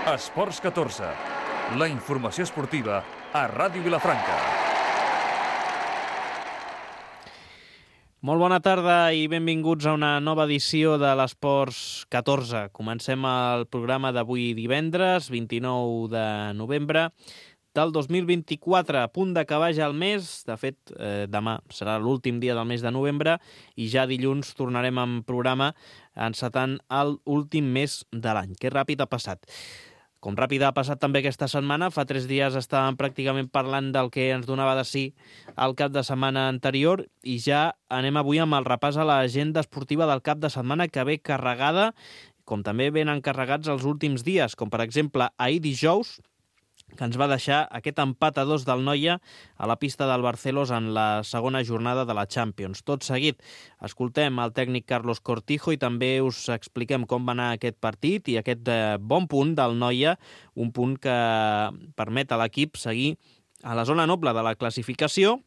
Esports 14, la informació esportiva a Ràdio Vilafranca. Molt bona tarda i benvinguts a una nova edició de l'Esports 14. Comencem el programa d'avui divendres, 29 de novembre del 2024, a punt d'acabar ja el mes. De fet, demà serà l'últim dia del mes de novembre i ja dilluns tornarem amb programa encetant l'últim mes de l'any. Que ràpid ha passat. Com ràpid ha passat també aquesta setmana, fa 3 dies estàvem pràcticament parlant del que ens donava de sí el cap de setmana anterior i ja anem avui amb el repàs a l'agenda esportiva del cap de setmana que ve carregada, com també ben encarregats els últims dies, com per exemple ahir dijous, que ens va deixar aquest empat a 2 del Noia a la pista del Barcelos en la segona jornada de la Champions. Tot seguit, escoltem el tècnic Carlos Cortijo i també us expliquem com va anar aquest partit i aquest bon punt del Noia, un punt que permet a l'equip seguir a la zona noble de la classificació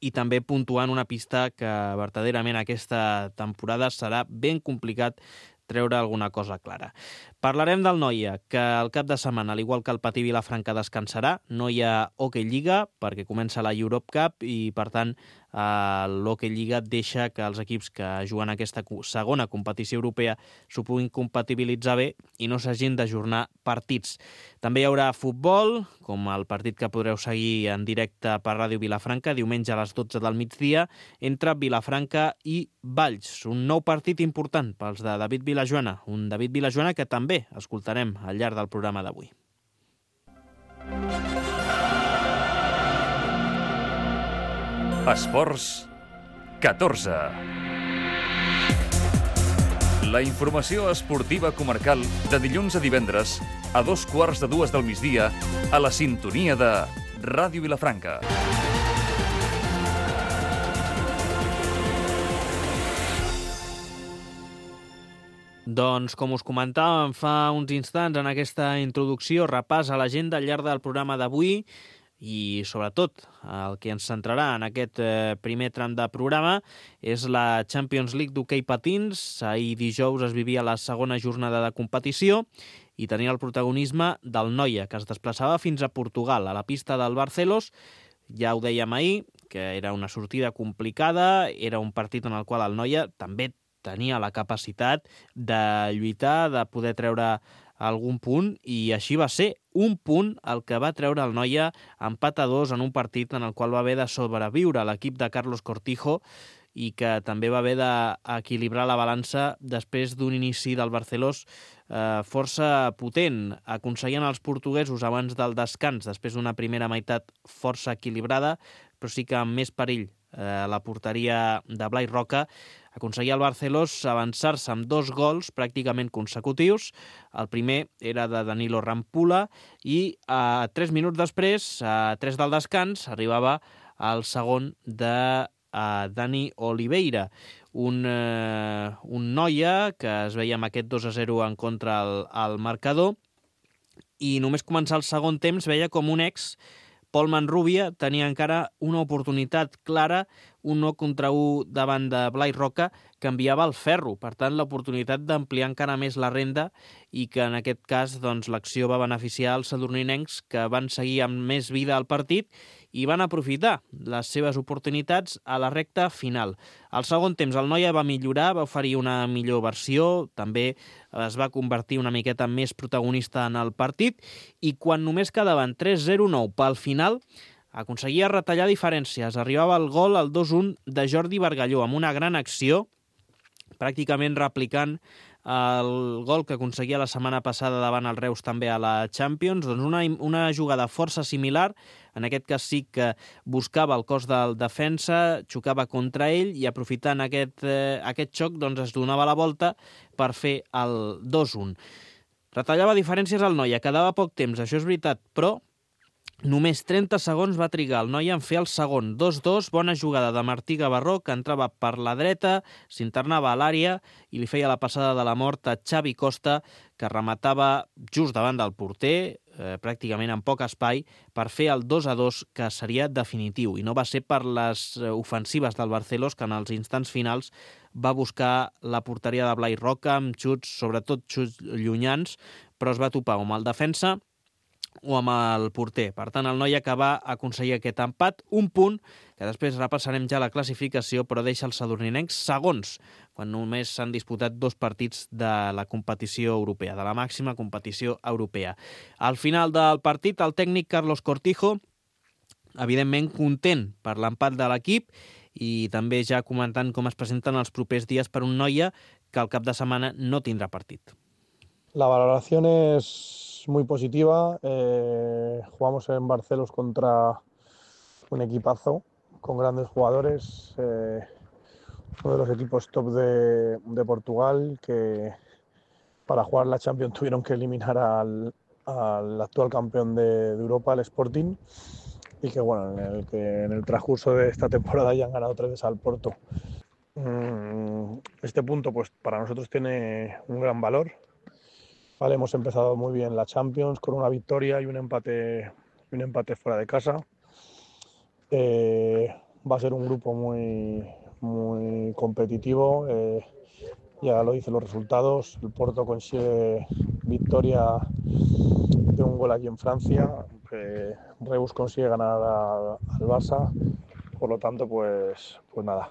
i també puntuant una pista que verdaderament aquesta temporada serà ben complicat treure alguna cosa clara. Parlarem del Noia, que el cap de setmana, al igual que el Patí Vilafranca, descansarà. No hi ha Hockey Lliga, perquè comença la Europe Cup i, per tant, l'Hockey Lliga deixa que els equips que juguen aquesta segona competició europea s'ho puguin compatibilitzar bé i no s'hagin d'ajornar partits. També hi haurà futbol, com el partit que podreu seguir en directe per Ràdio Vilafranca, diumenge a les 12 del migdia, entre Vilafranca i Valls. Un nou partit important pels de David Vilajoana, un David Vilajoana que també escoltarem al llarg del programa d'avui. Esports 14. La informació esportiva comarcal de dilluns a divendres a 2:15 del migdia a la sintonia de Ràdio Vilafranca. Doncs, com us comentàvem fa uns instants en aquesta introducció, repàs a l'agenda al llarg del programa d'avui i, sobretot, el que ens centrarà en aquest primer tram de programa és la Champions League d'hoquei patins. Ahir dijous es vivia la segona jornada de competició i tenia el protagonisme del Noia, que es desplaçava fins a Portugal, a la pista del Barcelos. Ja ho dèiem ahir, que era una sortida complicada, era un partit en el qual el Noia també tenia la capacitat de lluitar, de poder treure algun punt, i així va ser. Un punt el que va treure el Noia, empat a 2 en un partit en el qual va haver de sobreviure l'equip de Carlos Cortijo i que també va haver d'equilibrar la balança després d'un inici del Barcelos força potent. Aconseguien els portuguesos abans del descans, després d'una primera meitat força equilibrada, però sí que amb més perill la porteria de Blai Roca, aconseguia el Barcelos avançar-se amb 2 gols pràcticament consecutius. El primer era de Danilo Rampula i 3 minuts després, a 3 del descans, arribava el segon de Dani Oliveira, un Noia que es veia amb aquest 2-0 en contra al marcador, i només començar el segon temps veia com un Pol Manrubia tenia encara una oportunitat clara, un 1 contra 1 davant de Blai Roca, que enviava el ferro. Per tant, l'oportunitat d'ampliar encara més la renda i que en aquest cas doncs, l'acció va beneficiar els sadurninencs, que van seguir amb més vida al partit i van aprofitar les seves oportunitats a la recta final. Al segon temps el Noia va millorar, va oferir una millor versió, també es va convertir una miqueta més protagonista en el partit, i quan només quedaven 3-0-9 pel final, aconseguia retallar diferències. Arribava el gol, el 2-1 de Jordi Bargalló, amb una gran acció, pràcticament replicant el gol que aconseguia la setmana passada davant el Reus també a la Champions. Doncs una jugada força similar, en aquest cas sí que buscava el cos del defensa, xocava contra ell i aprofitant aquest xoc doncs es donava la volta per fer el 2-1. Retallava diferències al Noia, quedava poc temps, això és veritat, però només 30 segons va trigar el Noia en fer el segon. 2-2, bona jugada de Martí Gavarró, que entrava per la dreta, s'internava a l'àrea i li feia la passada de la mort a Xavi Costa, que rematava just davant del porter, pràcticament en poc espai, per fer el 2-2, que seria definitiu. I no va ser per les ofensives del Barcelos, que en els instants finals va buscar la porteria de Blai Roca amb xuts, sobretot xuts llunyans, però es va topar amb el defensa o amb el porter. Per tant, el Noia que va aconseguir aquest empat, un punt, que després repassarem ja la classificació, però deixa els sadurninencs segons, quan només s'han disputat 2 partits de la competició europea, de la màxima competició europea. Al final del partit, el tècnic Carlos Cortijo, evidentment content per l'empat de l'equip i també ja comentant com es presenten els propers dies per un Noia que el cap de setmana no tindrà partit. La valoración es muy positiva. Jugamos en Barcelos contra un equipazo con grandes jugadores, uno de los equipos top de Portugal, que para jugar la Champions tuvieron que eliminar al actual campeón de Europa, el Sporting, y que bueno, en el transcurso de esta temporada ya han ganado 3 veces al Porto. Este punto pues para nosotros tiene un gran valor. Vale, hemos empezado muy bien la Champions con una victoria y un empate fuera de casa. Va a ser un grupo muy competitivo. Ya lo dicen los resultados. El Porto consigue victoria de un gol aquí en Francia. Reus consigue ganar al Barça. Por lo tanto, pues nada.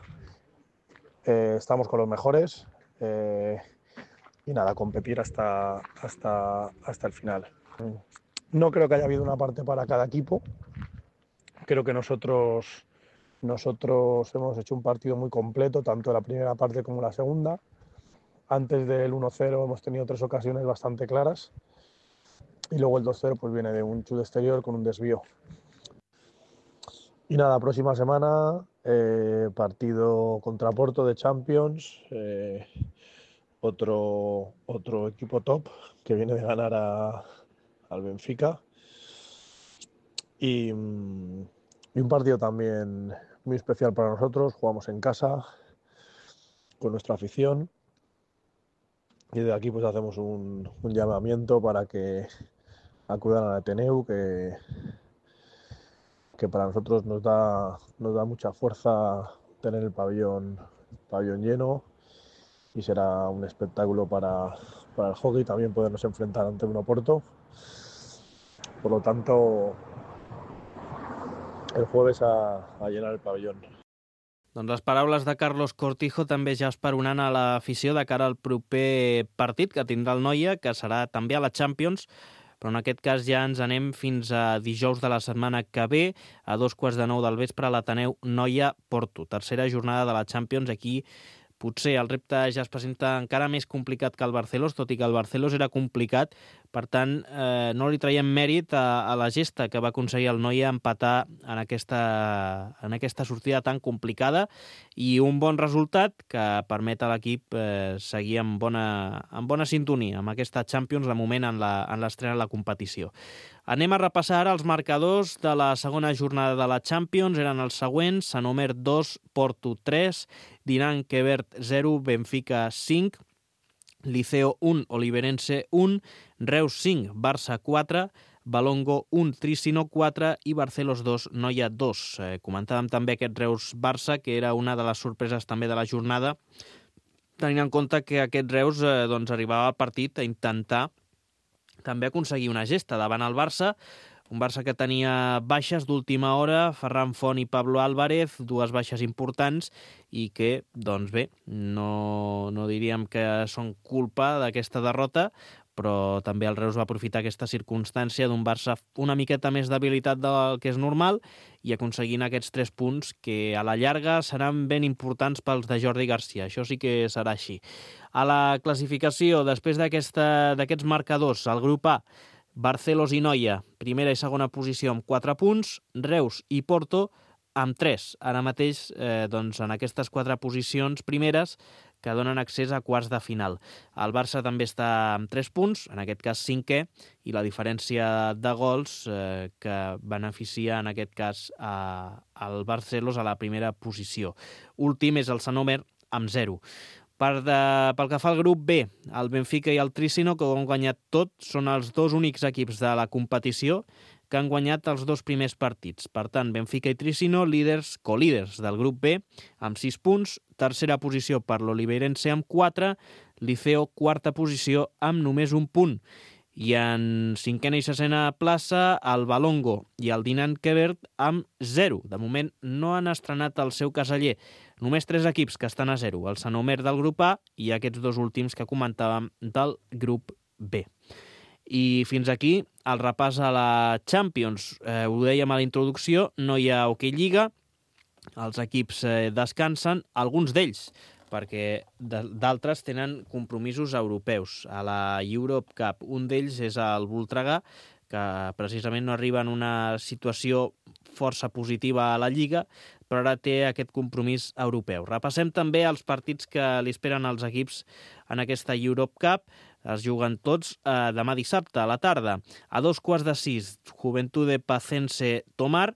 Estamos con los mejores. Y nada, competir hasta el final. No creo que haya habido una parte para cada equipo. Creo que nosotros hemos hecho un partido muy completo, tanto en la primera parte como en la segunda. Antes del 1-0 hemos tenido 3 ocasiones bastante claras. Y luego el 2-0 pues viene de un chute exterior con un desvío. Y nada, próxima semana, partido contra Porto de Champions. Otro equipo top que viene de ganar al Benfica y un partido también muy especial para nosotros. Jugamos en casa con nuestra afición y de aquí pues hacemos un llamamiento para que acudan al Ateneu, que para nosotros nos da mucha fuerza tener el pabellón lleno. Y será un espectáculo para el hockey también podernos enfrentar ante un Oporto. Por lo tanto, el jueves a llenar el pabellón. Doncs les paraules de Carlos Cortijo també ja esperonant a l'afició de cara al proper partit que tindrà el Noia, que serà també a la Champions, però en aquest cas ja ens anem fins a dijous de la setmana que ve, a 2:15 del vespre, a l'Ateneu Noia-Porto. Tercera jornada de la Champions. Aquí potser el repte ja es presenta encara més complicat que el Barcelos, tot i que el Barcelos era complicat. Per tant, no li traiem mèrit a la gesta que va aconseguir el Noia empatar en aquesta sortida tan complicada i un bon resultat que permet a l'equip seguir en bona sintonia amb aquesta Champions, de moment en l'estrena de la competició. Anem a repassar ara els marcadors de la segona jornada de la Champions. Eren els següents: Sant Omer 2, Porto 3, Dinant Quebert 0, Benfica 5, Liceo 1, Oliverense 1, Reus 5, Barça 4, Balongo 1, Tricino 4 i Barcelos 2, Noia 2. Comentàvem també aquest Reus-Barça, que era una de les sorpreses també de la jornada, tenint en compte que aquest Reus arribava al partit a intentar també aconseguir una gesta davant el Barça, un Barça que tenia baixes d'última hora, Ferran Font i Pablo Álvarez, 2 baixes importants, i que, doncs bé, no diríem que són culpa d'aquesta derrota, però també el Reus va aprofitar aquesta circumstància d'un Barça una miqueta més debilitat del que és normal i aconseguint aquests 3 punts que a la llarga seran ben importants pels de Jordi Garcia. Això sí que serà així. A la classificació, després d'aquests marcadors, el grup A, Barcelos i Noia, primera i segona posició amb 4 punts, Reus i Porto amb 3. Ara mateix, en aquestes 4 posicions primeres que donen accés a quarts de final. El Barça també està amb 3 punts, en aquest cas 5è, i la diferència de gols que beneficia en aquest cas al Barcelos a la primera posició. Últim és el Sant Omer amb 0. Pel que fa al grup B, el Benfica i el Tricino, que ho han guanyat tot, són els dos únics equips de la competició que han guanyat els dos primers partits. Per tant, Benfica i Tricino, colíders del grup B, amb 6 punts, tercera posició per l'Oliveirense amb 4, Liceo quarta posició amb només 1 punt. I en cinquena i sisena plaça, el Valongo i el Dinant Quebert amb 0. De moment no han estrenat el seu caseller. Només 3 equips que estan a 0, el Sant Omer del grup A i aquests dos últims que comentàvem del grup B. I fins aquí el repàs a la Champions. Ho dèiem a la introducció, no hi ha Hockey Lliga, els equips descansen, alguns d'ells, perquè d'altres tenen compromisos europeus. A la Europe Cup, un d'ells és el Voltregà, que precisament no arriba en una situació força positiva a la Lliga, però ara té aquest compromís europeu. Repassem també els partits que li esperen als equips en aquesta Europe Cup. Es juguen tots demà dissabte a la tarda. A 5:15, Juventude Pacense Tomar,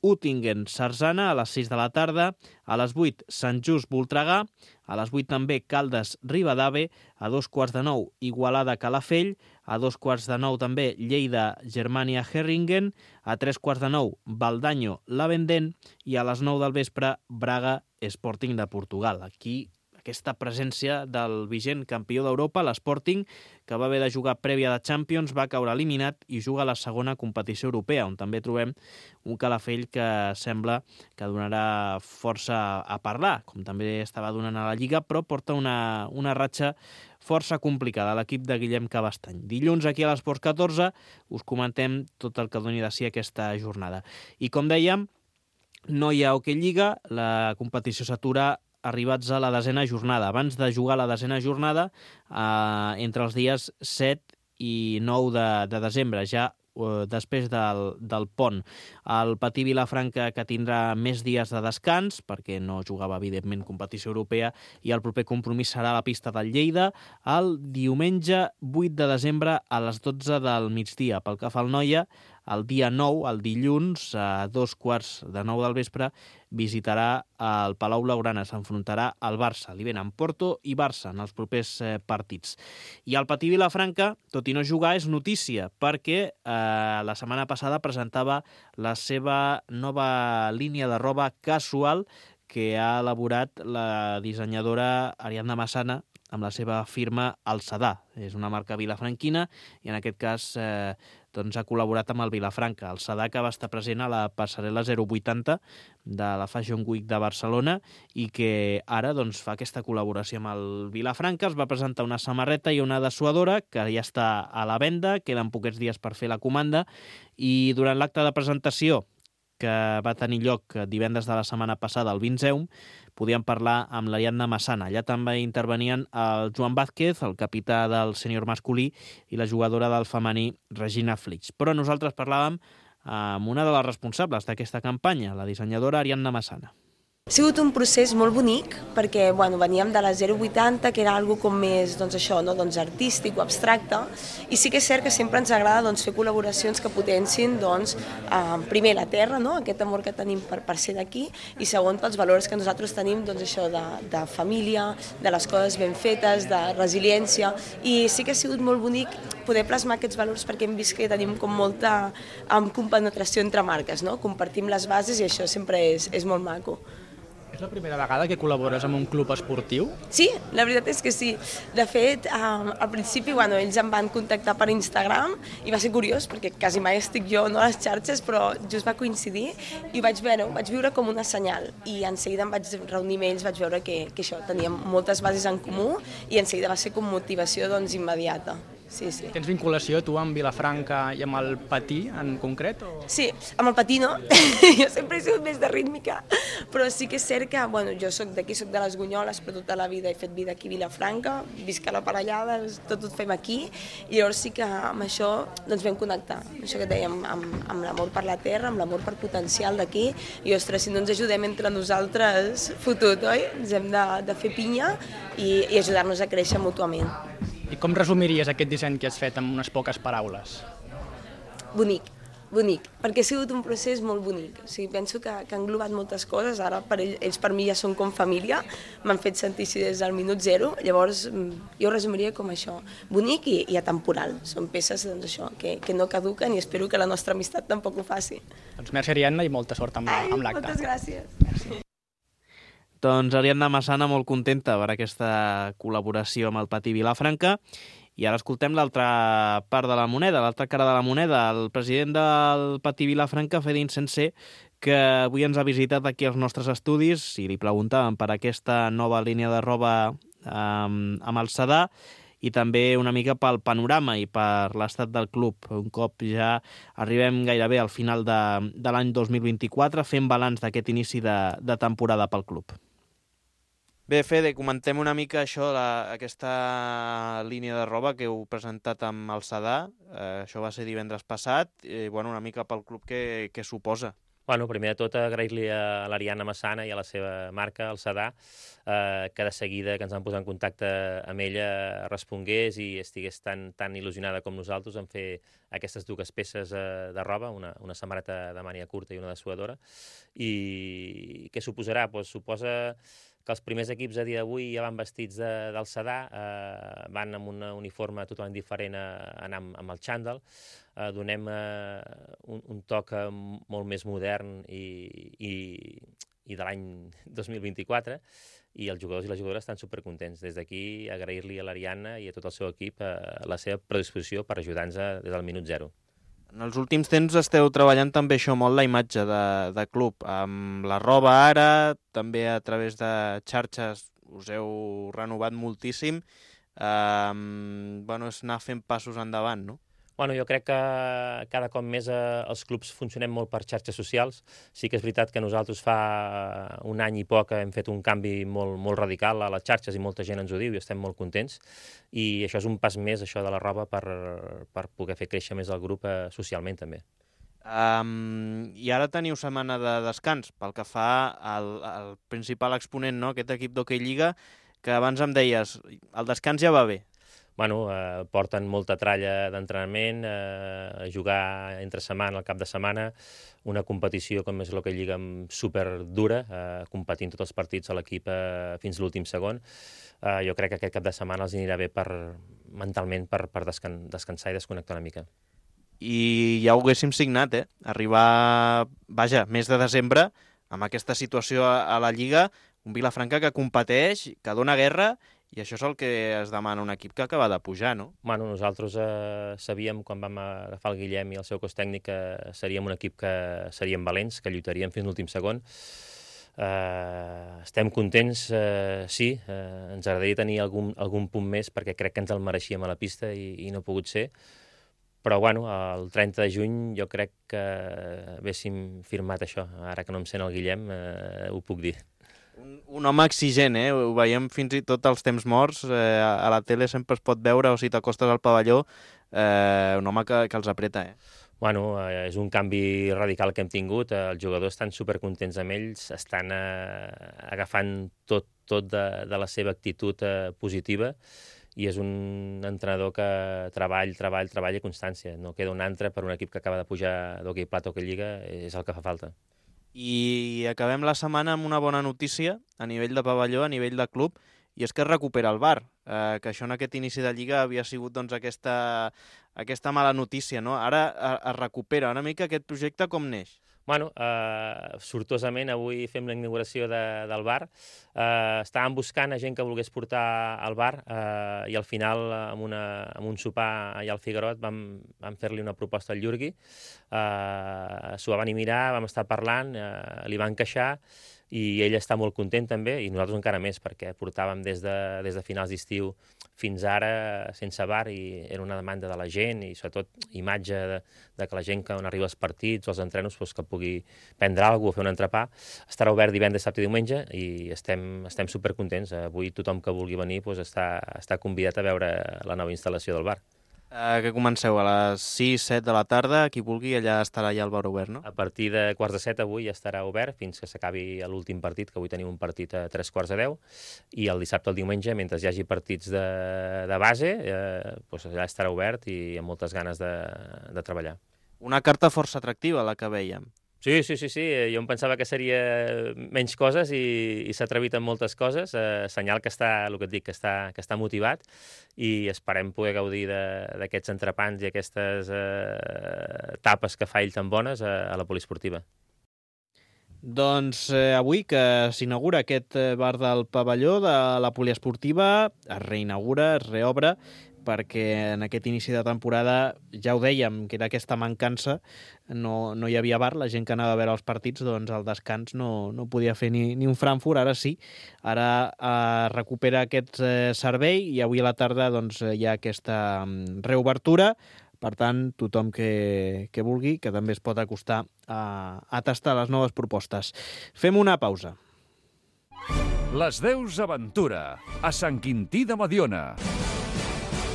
Uttingen Sarzana a les 6 de la tarda, a les 8 Sant Just Voltregà, a les 8 també Caldes Ribadave, a 8:15 Igualada Calafell, a 8:15 també Lleida Germania Herringen, a 3:15 Baldanyo Lavendent i a les 9 del vespre Braga Sporting de Portugal. Aquí aquesta presència del vigent campió d'Europa, l'Sporting, que va haver de jugar prèvia de Champions, va caure eliminat i juga a la segona competició europea, on també trobem un Calafell que sembla que donarà força a parlar, com també estava donant a la Lliga, però porta una ratxa força complicada a l'equip de Guillem Cabastany. Dilluns aquí a l'Esports 14 us comentem tot el que doni de si aquesta jornada. I com dèiem, no hi ha Hockey Lliga, la competició s'atura arribats a la 10a jornada. Abans de jugar a la 10a jornada, entre els dies 7 i 9 de desembre, ja després del pont. El Patí Vilafranca, que tindrà més dies de descans, perquè no jugava, evidentment, competició europea, i el proper compromís serà a la pista del Lleida el diumenge 8 de desembre a les 12 del migdia. Pel que fa al Noia, el dia 9, el dilluns, a 8:15 del vespre, visitarà el Palau Blaugrana, s'enfrontarà al Barça. Li venen Porto i Barça en els propers partits. I el Patí Vilafranca, tot i no jugar, és notícia, perquè la setmana passada presentava la seva nova línia de roba casual que ha elaborat la dissenyadora Ariadna Massana amb la seva firma El Sadà. És una marca vilafranquina i en aquest cas doncs ha col·laborat amb el Vilafranca. El Sadà, que va estar present a la passarel·la 080 de la Fashion Week de Barcelona i que ara doncs, fa aquesta col·laboració amb el Vilafranca. Es va presentar una samarreta i una dessuadora que ja està a la venda, queden poquets dies per fer la comanda, i durant l'acte de presentació que va tenir lloc divendres de la setmana passada al Vinceum, podíem parlar amb l'Ariadna Massana. Allà també intervenien el Joan Vázquez, el capità del sènior masculí, i la jugadora del femení, Regina Flix. Però nosaltres parlàvem amb una de les responsables d'aquesta campanya, la dissenyadora Ariadna Massana. Ha sigut un procés molt bonic perquè veníem de la 080, que era algo com més artístic o abstracte, i sí que és cert que sempre ens agrada fer col·laboracions que potencin primer la terra, aquest amor que tenim per ser d'aquí, i segon pels valors que nosaltres tenim de família, de les coses ben fetes, de resiliència, i sí que ha sigut molt bonic poder plasmar aquests valors perquè hem vist que tenim com molta compenetració entre marques, compartim les bases i això sempre és molt maco. És la primera vegada que col·labores amb un club esportiu? Sí, la veritat és que sí. De fet, al principi ells em van contactar per Instagram i va ser curiós perquè quasi mai estic jo a les xarxes, però just va coincidir i ho vaig viure com una senyal. I en seguida em vaig reunir amb ells, vaig veure que això, teníem moltes bases en comú i en seguida va ser com motivació immediata. Sí. Tens vinculació tu amb Vilafranca i amb el Patí en concret? Sí, amb el Patí no, jo sempre he sigut més de rítmica, però sí que és cert que jo soc d'aquí, soc de les Gunyoles, però tota la vida he fet vida aquí a Vilafranca, visc a la Parellada, tot ho fem aquí, i llavors sí que amb això vam connectar, això que dèiem, amb l'amor per la terra, amb l'amor per potencial d'aquí, i ostres, si no ens ajudem entre nosaltres, fotut, oi? Ens hem de fer pinya i ajudar-nos a créixer mútuament. I com resumiries aquest disseny que has fet amb unes poques paraules? Bonic. Bonic, perquè ha sigut un procés molt bonic. O sigui, penso que ha englobat moltes coses. Ara ells per mi ja són com família, m'han fet sentir així des del minut zero. Llavors jo ho resumiria com això, bonic i atemporal. Són peces doncs, això, que no caduquen i espero que la nostra amistat tampoc ho faci. Doncs merci, Ariadna, i molta sort amb l'acte. Moltes gràcies. Merci. Doncs Ariadna Massana molt contenta per aquesta col·laboració amb el Patí Vilafranca. I ara escoltem l'altra part de la moneda, l'altra cara de la moneda. El president del Patí Vilafranca, Fede Insensé, que avui ens ha visitat aquí als nostres estudis i li preguntàvem per aquesta nova línia de roba amb el Sadà i també una mica pel panorama i per l'estat del club. Un cop ja arribem gairebé al final de l'any 2024, fent balanç d'aquest inici de temporada pel club. Bé, Fede, comentem una mica això, aquesta línia de roba que heu presentat amb el Sadà. Això va ser divendres passat. Una mica pel club què suposa. Bueno, primer de tot, agrair-li a l'Ariadna Massana i a la seva marca, el Sadà, que de seguida que ens van posar en contacte amb ella respongués i estigués tan il·lusionada com nosaltres en fer aquestes dues peces de roba, una samarreta de màniga curta i una de suadora. I què suposarà? Suposa que els primers equips a dia d'avui ja van vestits del Sadà, van amb un uniforme totalment diferent a anar amb el xandall, donem un toc molt més modern i de l'any 2024, i els jugadors i les jugadores estan supercontents. Des d'aquí, agrair-li a l'Ariadna i a tot el seu equip la seva predisposició per ajudar-nos des del minut zero. En els últims temps esteu treballant també això molt la imatge de club, amb la roba ara, també a través de xarxes us heu renovat moltíssim. És anar fent passos endavant, no? Jo crec que cada cop més els clubs funcionem molt per xarxes socials. Sí que és veritat que nosaltres fa un any i poc hem fet un canvi molt radical a les xarxes i molta gent ens ho diu i estem molt contents. I això és un pas més, això de la roba, per poder fer créixer més el grup socialment també. I ara teniu setmana de descans pel que fa al principal exponent, no? Aquest equip d'Hockey Lliga, que abans em deies, el descans ja va bé. Porten molta tralla d'entrenament, jugar entre setmana, al cap de setmana, una competició com és l'Hockey Lliga superdura, competint tots els partits a l'equip fins l'últim segon. Jo crec que aquest cap de setmana els anirà bé mentalment per descansar i desconnectar una mica. I ja ho haguéssim signat, arribar, mes de desembre, amb aquesta situació a la Lliga, un Vilafranca que competeix, que dona guerra, i això és el que es demana un equip que acaba de pujar, no? Nosaltres sabíem, quan vam agafar el Guillem i el seu cos tècnic, que seríem un equip que seríem valents, que lluitaríem fins l'últim segon. Estem contents, sí, ens agradaria tenir algun punt més perquè crec que ens el mereixíem a la pista i no ha pogut ser. Però, el 30 de juny jo crec que haguéssim firmat això. Ara que no em sent el Guillem, ho puc dir. Un home exigent, ho veiem fins i tot als temps morts, a la tele sempre es pot veure, o si t'acostes al pavelló, un home que els apreta. És un canvi radical que hem tingut, els jugadors estan supercontents amb ells, estan agafant tot de la seva actitud positiva, i és un entrenador que treball i constància. No queda un altre per un equip que acaba de pujar d'Hockey Plata o Hockey Lliga, és el que fa falta. I acabem la setmana amb una bona notícia a nivell de pavelló, a nivell de club, i és que es recupera el bar, que això en aquest inici de Lliga havia sigut aquesta mala notícia, no? Ara es recupera una mica aquest projecte, com neix? Sortosament avui fem la inauguració del bar. Estàvem buscant a gent que volgués portar al bar i al final amb un sopar allà al Figuerot vam fer-li una proposta al Jurgui. S'ho va venir a mirar, vam estar parlant, li va encaixar i ell està molt content també, i nosaltres encara més, perquè portàvem des de finals d'estiu fins ara sense bar i era una demanda de la gent i sobretot imatge de que la gent que arriba als partits o als entrenos que pugui prendre alguna cosa o fer un entrepà. Estarà obert divendres, dissabte i diumenge i estem supercontents. Avui tothom que vulgui venir està convidat a veure la nova instal·lació del bar. Que comenceu a les 6-7 de la tarda, qui vulgui, allà estarà ja el bar obert, no? A partir de 7:15 avui ja estarà obert fins que s'acabi l'últim partit, que avui tenim un partit a 9:45, i el dissabte o el diumenge, mentre hi hagi partits de base, allà estarà obert i amb moltes ganes de treballar. Una carta força atractiva, la que vèiem. Sí. Jo em pensava que seria menys coses i s'ha atrevit amb moltes coses. Senyal que està, el que et dic, que està motivat i esperem poder gaudir d'aquests entrepans i aquestes tapes que fa ell tan bones a la poliesportiva. Doncs avui que s'inaugura aquest bar del pavelló de la poliesportiva, es reinaugura, es reobre, perquè en aquest inici de temporada ja ho dèiem, que era aquesta mancança, no hi havia bar, la gent que anava a veure els partits, doncs al descans no podia fer ni un Frankfurt, ara sí, ara recupera aquest servei i avui a la tarda doncs, hi ha aquesta reobertura. Per tant, tothom que vulgui, que també es pot acostar a tastar les noves propostes. Fem una pausa. Les Deus Aventura, a Sant Quintí de Mediona.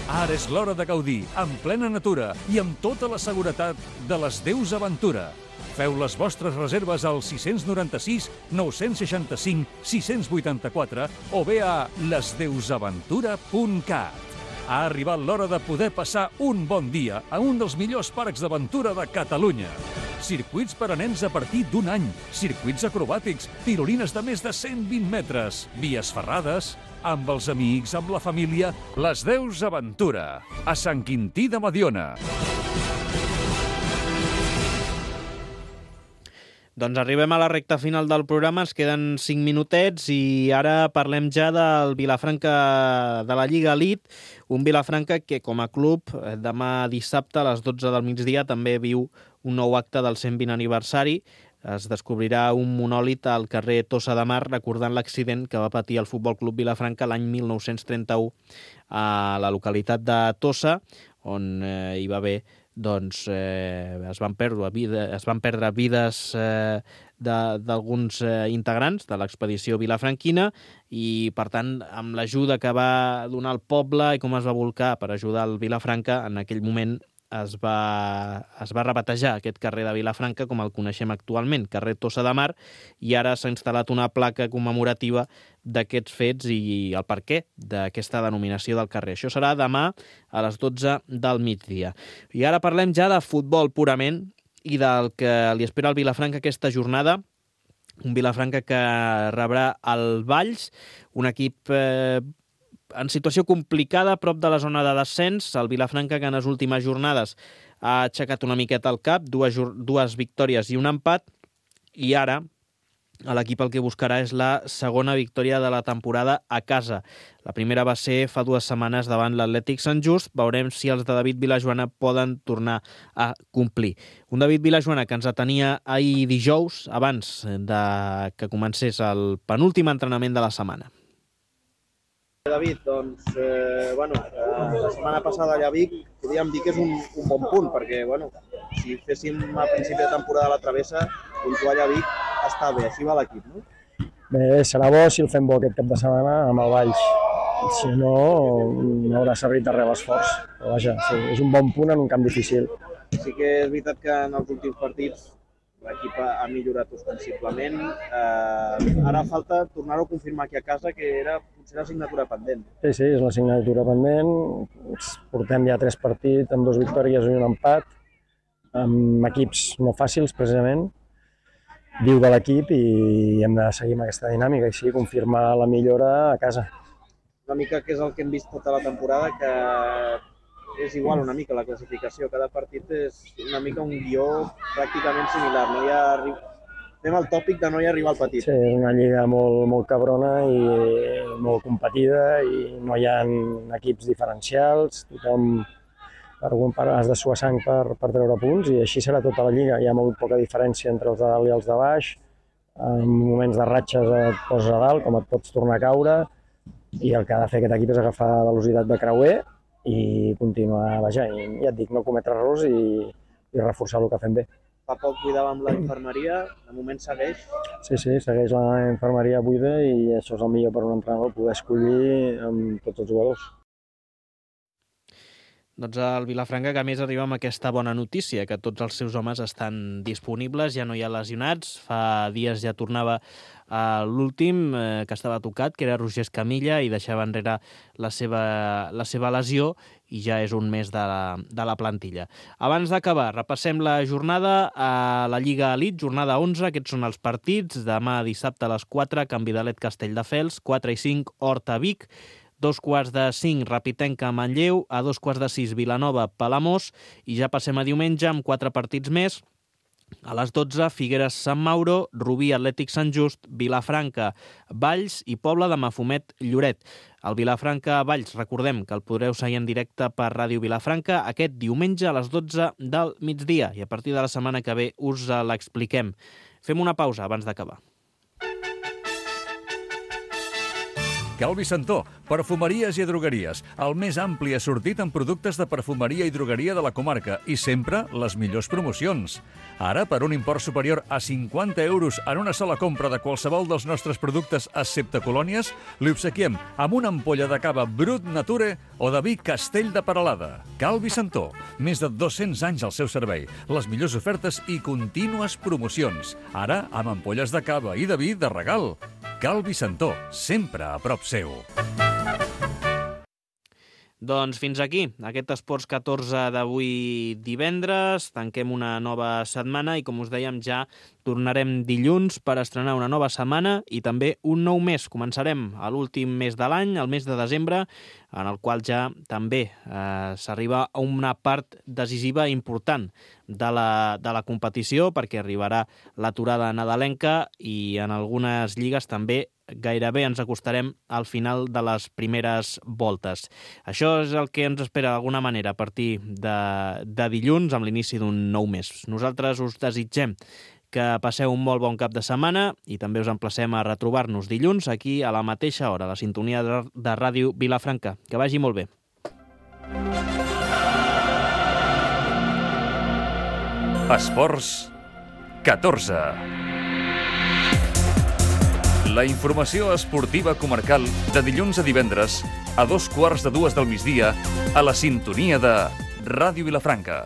Ara és l'hora de gaudir, en plena natura i amb tota la seguretat de les Deus Aventura. Feu les vostres reserves al 696 965 684 o bé a lesdeusaventura.cat. Ha arribat l'hora de poder passar un bon dia a un dels millors parcs d'aventura de Catalunya. Circuits per a nens a partir d'1 any, circuits acrobàtics, tirolines de més de 120 metres, vies ferrades, amb els amics, amb la família. Les Deus Aventura, a Sant Quintí de Mediona. Doncs arribem a la recta final del programa, ens queden 5 minutets i ara parlem ja del Vilafranca de la Lliga Elite, un Vilafranca que com a club demà dissabte a les 12 del migdia també viu un nou acte del 120 aniversari. Es descobrirà un monòlit al carrer Tossa de Mar recordant l'accident que va patir el Futbol Club Vilafranca l'any 1931 a la localitat de Tossa, on hi va haver es van perdre vides d'alguns integrants de l'expedició vilafranquina i, per tant, amb l'ajuda que va donar el poble i com es va volcar per ajudar el Vilafranca, en aquell moment es va rebatejar aquest carrer de Vilafranca com el coneixem actualment, carrer Tossa de Mar, i ara s'ha instal·lat una placa commemorativa d'aquests fets i el perquè d'aquesta denominació del carrer. Això serà demà a les 12 del migdia. I ara parlem ja de futbol purament i del que li espera al Vilafranca aquesta jornada. Un Vilafranca que rebrà el Valls, un equip en situació complicada a prop de la zona de descens. El Vilafranca, que en les últimes jornades ha aixecat una miqueta el cap, dues victòries i un empat, i ara l'equip el que buscarà és la segona victòria de la temporada a casa. La primera va ser fa 2 setmanes davant l'Atlètic Sant Just. Veurem si els de David Vilajoana poden tornar a complir. Un David Vilajoana que ens atenia ahir dijous, abans que comencés el penúltim entrenament de la setmana. David, doncs, la setmana passada allà a Vic podríem dir que és un bon punt, perquè, si féssim a principi de temporada la travessa, puntuar allà a Vic està bé, així va l'equip, no? Bé, serà bo si el fem bo aquest cap de setmana amb el Valls. Si no, no haurà servit de res l'esforç. Però vaja, sí, és un bon punt en un camp difícil. Sí que és veritat que en els últims partits l'equip ha millorat ostensiblement. Ara falta tornar-ho a confirmar aquí a casa, que era potser l'assignatura pendent. Sí, és l'assignatura pendent. Portem ja 3 partits amb 2 victòries i un empat, amb equips no fàcils, precisament. Viu de l'equip i hem de seguir amb aquesta dinàmica i sí, confirmar la millora a casa. Una mica que és el que hem vist tota la temporada, que és igual una mica la classificació. Cada partit és una mica un guió pràcticament similar. Anem al tòpic de no hi arribar al petit. Sí, és una lliga molt cabrona i molt competida i no hi ha equips diferencials. Tothom has de suar sang per treure punts i així serà tota la lliga. Hi ha molt poca diferència entre els de dalt i els de baix. En moments de ratxes et poses a dalt, com et pots tornar a caure, i el que ha de fer aquest equip és agafar velocitat de creuer i continuar, i ja et dic, no cometre errors i reforçar el que fem bé. Fa poc buidàvem la infermeria, de moment segueix? Sí, segueix la infermeria buida i això és el millor per un entrenador, poder escollir amb tots els jugadors. Doncs el Vilafranca, que a més arriba amb aquesta bona notícia, que tots els seus homes estan disponibles, ja no hi ha lesionats. Fa dies ja tornava l'últim que estava tocat, que era Roger Escamilla, i deixava enrere la seva lesió, i ja és un mes de la plantilla. Abans d'acabar, repassem la jornada a la Lliga Elite, jornada 11. Aquests són els partits. Demà dissabte a les 4, Can Vidalet Castelldefels, 4 i 5, Horta Vic, 2:45, Rapitenca Manlleu, a 2:06, Vilanova Palamós, i ja passem a diumenge amb 4 partits més. A les 12, Figueres Sant Mauro, Rubí Atlètic Sant Just, Vilafranca Valls i Pobla de Mafumet Lloret. El Vilafranca Valls, recordem que el podreu seguir en directe per Ràdio Vilafranca aquest diumenge a les 12 del migdia, i a partir de la setmana que ve us l'expliquem. Fem una pausa abans d'acabar. Calvi Santó, perfumeries i drogueries, el més ampli assortit en productes de perfumeria i drogueria de la comarca, i sempre les millors promocions. Ara, per un import superior a 50 euros en una sola compra de qualsevol dels nostres productes excepte colònies, li obsequiem amb una ampolla de cava Brut Nature o de vi Castell de Peralada. Calvi Santó, més de 200 anys al seu servei, les millors ofertes i contínues promocions. Ara, amb ampolles de cava i de vi de regal. Calvi Santó, sempre a prop seu. Doncs fins aquí, aquest Esports 14 d'avui divendres. Tanquem una nova setmana i, com us dèiem, ja tornarem dilluns per estrenar una nova setmana i també un nou mes. Començarem a l'últim mes de l'any, el mes de desembre, en el qual ja també s'arriba a una part decisiva important de la competició, perquè arribarà l'aturada nadalenca i en algunes lligues també gairebé ens acostarem al final de les primeres voltes. Això és el que ens espera d'alguna manera a partir de dilluns, amb l'inici d'un nou mes. Nosaltres us desitgem que passeu un molt bon cap de setmana i també us emplacem a retrobar-nos dilluns aquí a la mateixa hora, a la sintonia de Ràdio Vilafranca. Que vagi molt bé. Esports 14. La informació esportiva comarcal de dilluns a divendres a 2:15 del migdia a la sintonia de Ràdio Vilafranca.